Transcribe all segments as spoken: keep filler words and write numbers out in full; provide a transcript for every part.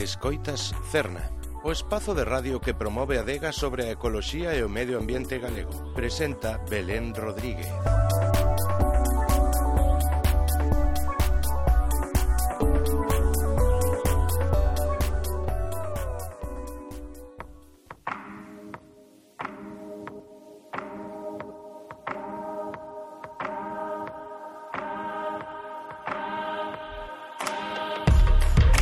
Escoitas Cerna, o espazo de radio que promove a adega sobre a ecoloxía e o medio ambiente galego. Presenta Belén Rodríguez.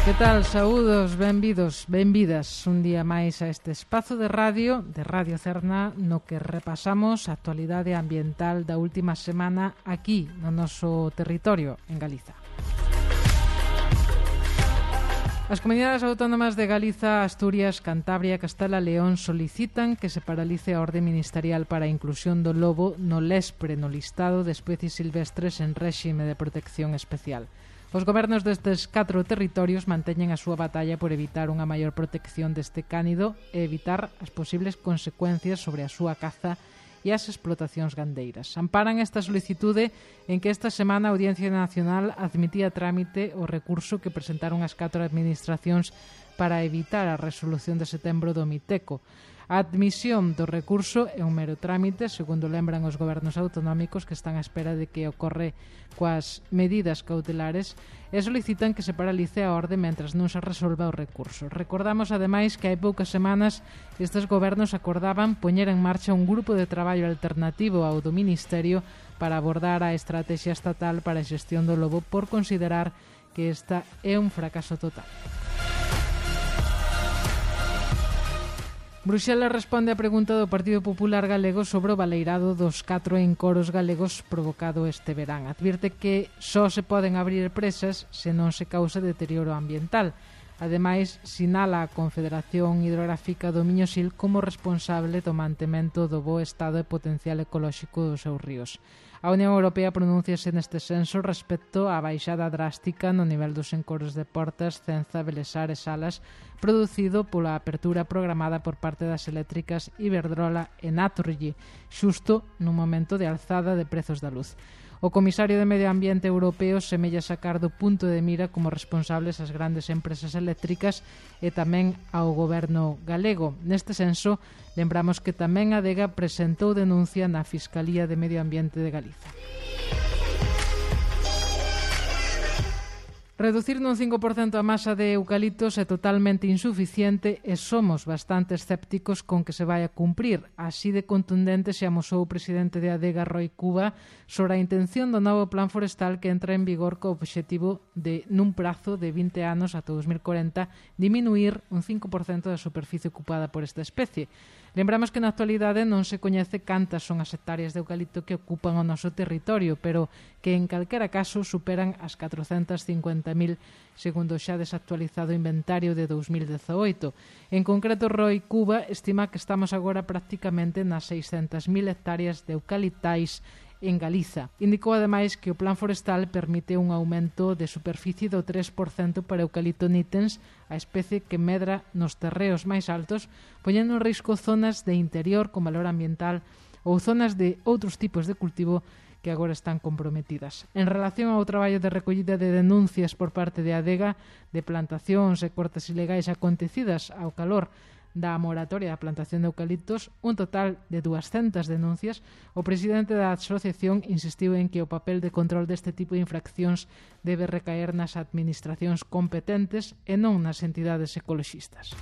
Que tal? Saúdos, benvidos, benvidas un día máis a este espazo de radio, de Radio Cerna, no que repasamos a actualidade ambiental da última semana aquí, no noso territorio, en Galiza. As comunidades autónomas de Galiza, Asturias, Cantabria e Castela León solicitan que se paralice a orde ministerial para a inclusión do lobo no Lespre no listado de especies silvestres en réxime de protección especial. Os gobernos destes catro territorios manteñen a súa batalla por evitar unha maior protección deste cánido e evitar as posibles consecuencias sobre a súa caza e as explotacións gandeiras. Amparan esta solicitude en que esta semana a Audiencia Nacional admitía a trámite o recurso que presentaron as catro administracións para evitar a resolución de setembro do Miteco. A admisión do recurso é un mero trámite, segundo lembran os gobernos autonómicos que están á espera de que ocorre coas medidas cautelares e solicitan que se paralice a orde mentras non se resolva o recurso. Recordamos, ademais, que hai poucas semanas estes gobernos acordaban poñer en marcha un grupo de traballo alternativo ao do Ministerio para abordar a estrategia estatal para a xestión do lobo por considerar que esta é un fracaso total. Bruxelas responde á pregunta do Partido Popular Galego sobre o baleirado dos catro encoros galegos provocado este verán. Advirte que só se poden abrir presas se non se causa deterioro ambiental. Ademais, sinala a Confederación Hidrográfica do Miño-Sil como responsable do mantemento do bo estado e potencial ecolóxico dos seus ríos. A Unión Europea pronúnciase neste senso respecto á baixada drástica no nivel dos encoros de Portas, Cenza, Belesar e Salas producido pola apertura programada por parte das eléctricas Iberdrola e Naturgy, xusto nun momento de alzada de prezos da luz. O comisario de Medio Ambiente europeo semella sacar do punto de mira como responsables as grandes empresas eléctricas e tamén ao goberno galego. Neste senso, lembramos que tamén a Adega presentou denuncia na Fiscalía de Medio Ambiente de Galiza. Reducir nun cinco por cento a masa de eucaliptos é totalmente insuficiente e somos bastante escépticos con que se vai a cumprir. Así de contundente se amosou o presidente de Adega, Roi Cuba, sobre a intención do novo plan forestal que entra en vigor co obxectivo de, nun prazo de vinte anos ata dos mil corenta, diminuir un cinco por cento da superficie ocupada por esta especie. Lembramos que na actualidade non se coñece cantas son as hectáreas de eucalipto que ocupan o noso territorio, pero que en calquera caso superan as catrocentas cincuenta mil segundo o xa desactualizado inventario de dous mil dezaoito. En concreto, Roi Cuba estima que estamos agora prácticamente nas seiscentas mil hectáreas de eucaliptais en Galiza. Indicou ademais que o plan forestal permite un aumento de superficie do tres por cento para eucalipto nitens, a especie que medra nos terreos máis altos, poñendo en risco zonas de interior con valor ambiental ou zonas de outros tipos de cultivo que agora están comprometidas. En relación ao traballo de recollida de denuncias por parte de Adega de plantacións e cortes ilegais acontecidas ao calor da moratoria da plantación de eucaliptos, un total de duascentas denuncias, o presidente da asociación insistiu en que o papel de control deste tipo de infraccións debe recaer nas administracións competentes e non nas entidades ecoloxistas.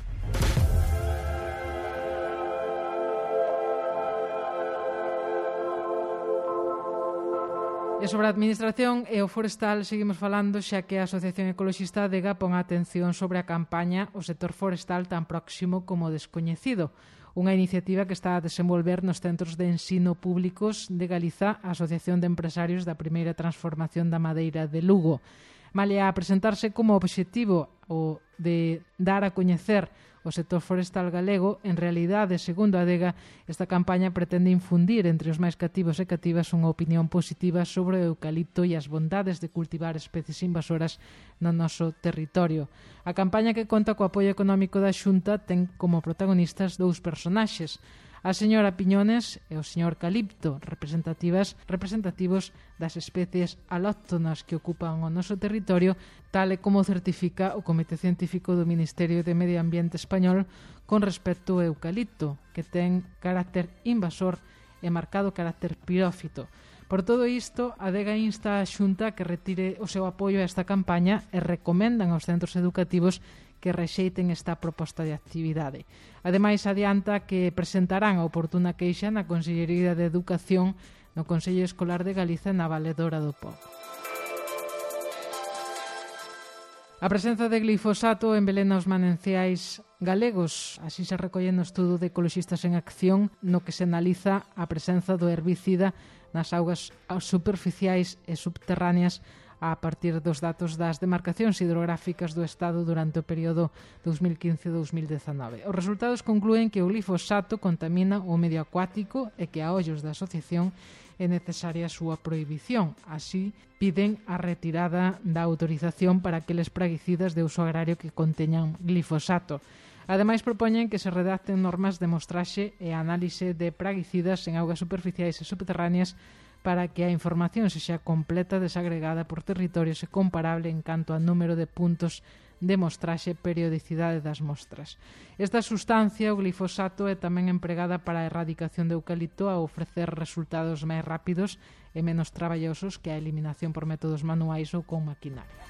E sobre a administración e o forestal seguimos falando, xa que a Asociación Ecoloxista Adega pon a atención sobre a campaña O sector forestal tan próximo como descoñecido, unha iniciativa que está a desenvolver nos centros de ensino públicos de Galiza a Asociación de Empresarios da Primeira Transformación da Madeira de Lugo. Malia a presentarse como obxectivo o de dar a coñecer o sector forestal galego, en realidade, segundo a Adega, esta campaña pretende infundir entre os máis cativos e cativas unha opinión positiva sobre o eucalipto e as bondades de cultivar especies invasoras no noso territorio. A campaña, que conta co apoio económico da Xunta, ten como protagonistas dous personaxes: A señora Piñones e o señor Calipto, representativas representativos das especies alóctonas que ocupan o noso territorio, tal e como certifica o Comité Científico do Ministerio de Medio Ambiente español con respecto ao eucalipto, que ten carácter invasor e marcado carácter pirófito. Por todo isto, a Adega insta a Xunta que retire o seu apoio a esta campaña e recomendan aos centros educativos que rexeiten esta proposta de actividade. Ademais, adianta que presentarán a oportuna queixa na Consellería de Educación no Consello Escolar de Galiza na Valedora do Pobo. A presenza de glifosato envelena os mananciais galegos. Así se recolle no estudo de Ecoloxistas en Acción, no que se analiza a presenza do herbicida nas augas superficiais e subterráneas a partir dos datos das demarcacións hidrográficas do Estado durante o período dos mil quince a dos mil dezanove. Os resultados conclúen que o glifosato contamina o medio acuático e que a ollos da asociación é necesaria a súa prohibición. Así, piden a retirada da autorización para aqueles praguicidas de uso agrario que conteñan glifosato. Ademais, propoñen que se redacten normas de mostraxe e análise de praguicidas en augas superficiais e subterráneas para que a información sexa completa, desagregada por territorios e comparable en canto a número de puntos de mostraxe e periodicidade das mostras. Esta sustancia, o glifosato, é tamén empregada para a erradicación de eucalipto a ofrecer resultados máis rápidos e menos traballosos que a eliminación por métodos manuais ou con maquinaria.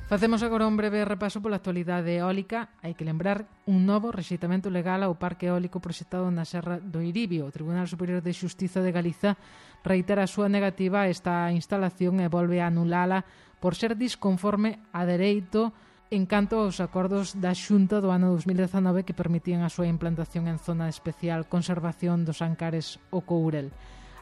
Facemos agora un breve repaso pola actualidade eólica. Hai que lembrar un novo rexeitamento legal ao parque eólico proxectado na Serra do Iribio. O Tribunal Superior de Xustiza de Galiza reitera a súa negativa a esta instalación e volve a anulala por ser disconforme a dereito en canto aos acordos da Xunta do ano dos mil dezanove que permitían a súa implantación en zona de especial conservación dos Ancares o Courel.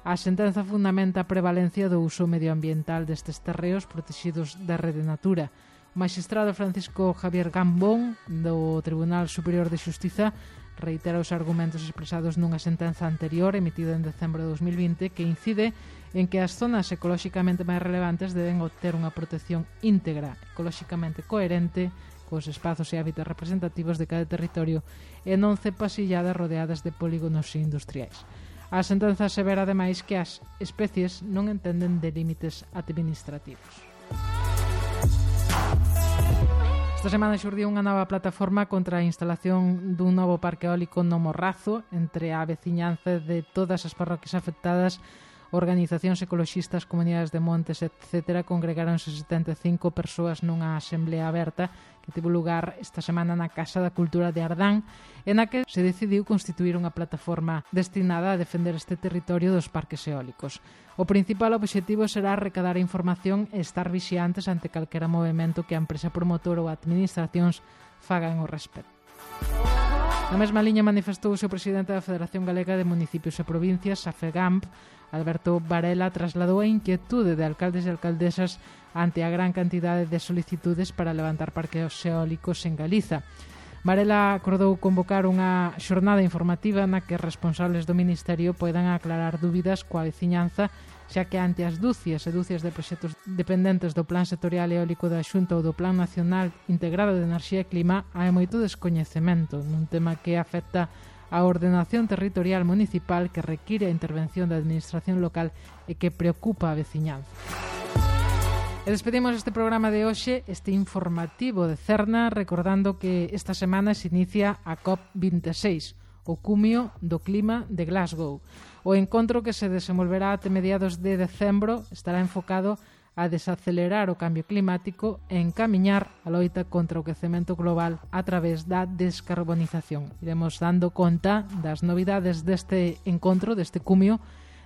A sentenza fundamenta a prevalencia do uso medioambiental destes terreos protegidos da Rede Natura. O magistrado Francisco Javier Gambón do Tribunal Superior de Xustiza reitera os argumentos expresados nunha sentenza anterior emitida en decembro de dos mil vinte que incide en que as zonas ecolóxicamente máis relevantes deben obter unha protección íntegra, ecolóxicamente coherente cos espazos e hábitats representativos de cada territorio e non cepasilladas rodeadas de polígonos industriais. A sentenza asevera ademais que as especies non entenden de límites administrativos. Esta semana xurdiu unha nova plataforma contra a instalación dun novo parque eólico no Morrazo entre a veciñanza de todas as parroquias afectadas. Organizacións ecoloxistas, comunidades de montes, etcétera, congregáronse setenta e cinco persoas nunha asemblea aberta que tivo lugar esta semana na Casa da Cultura de Ardán, en a que se decidiu constituir unha plataforma destinada a defender este territorio dos parques eólicos. O principal obxectivo será recadar información e estar vixiantes ante calquera movimento que a empresa promotora ou administracións fagan ao respecto. Na mesma liña manifestouse o presidente da Federación Galega de Municipios e Provincias, a FEGAMP, Alberto Varela, trasladou a inquietude de alcaldes e alcaldesas ante a gran cantidade de solicitudes para levantar parques eólicos en Galiza. Varela acordou convocar unha xornada informativa na que responsables do Ministerio poidan aclarar dúbidas coa veciñanza, xa que ante as dúcias e dúcias de proxectos dependentes do Plan Sectorial Eólico da Xunta ou do Plan Nacional Integrado de Enerxía e Clima, hai moito descoñecemento nun tema que afecta a ordenación territorial municipal que require a intervención da administración local e que preocupa a veciñanza. E despedimos este programa de hoxe, este informativo de Cerna, recordando que esta semana se inicia a COP vinte e seis, o cumio do clima de Glasgow. O encontro que se desenvolverá até mediados de decembro estará enfocado a desacelerar o cambio climático e encamiñar a loita contra o quecemento global a través da descarbonización. Iremos dando conta das novidades deste encontro, deste cumio,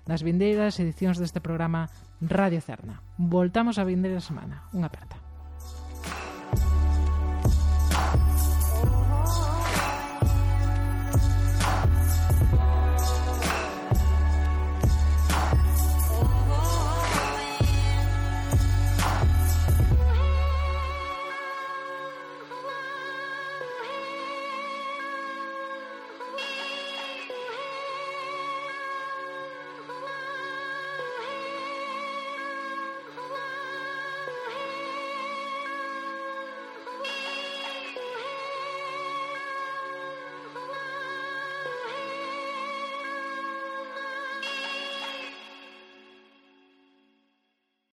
nas vindeiras edicións deste programa Radio Cerna. Voltamos a vindeira semana. Unha aperta.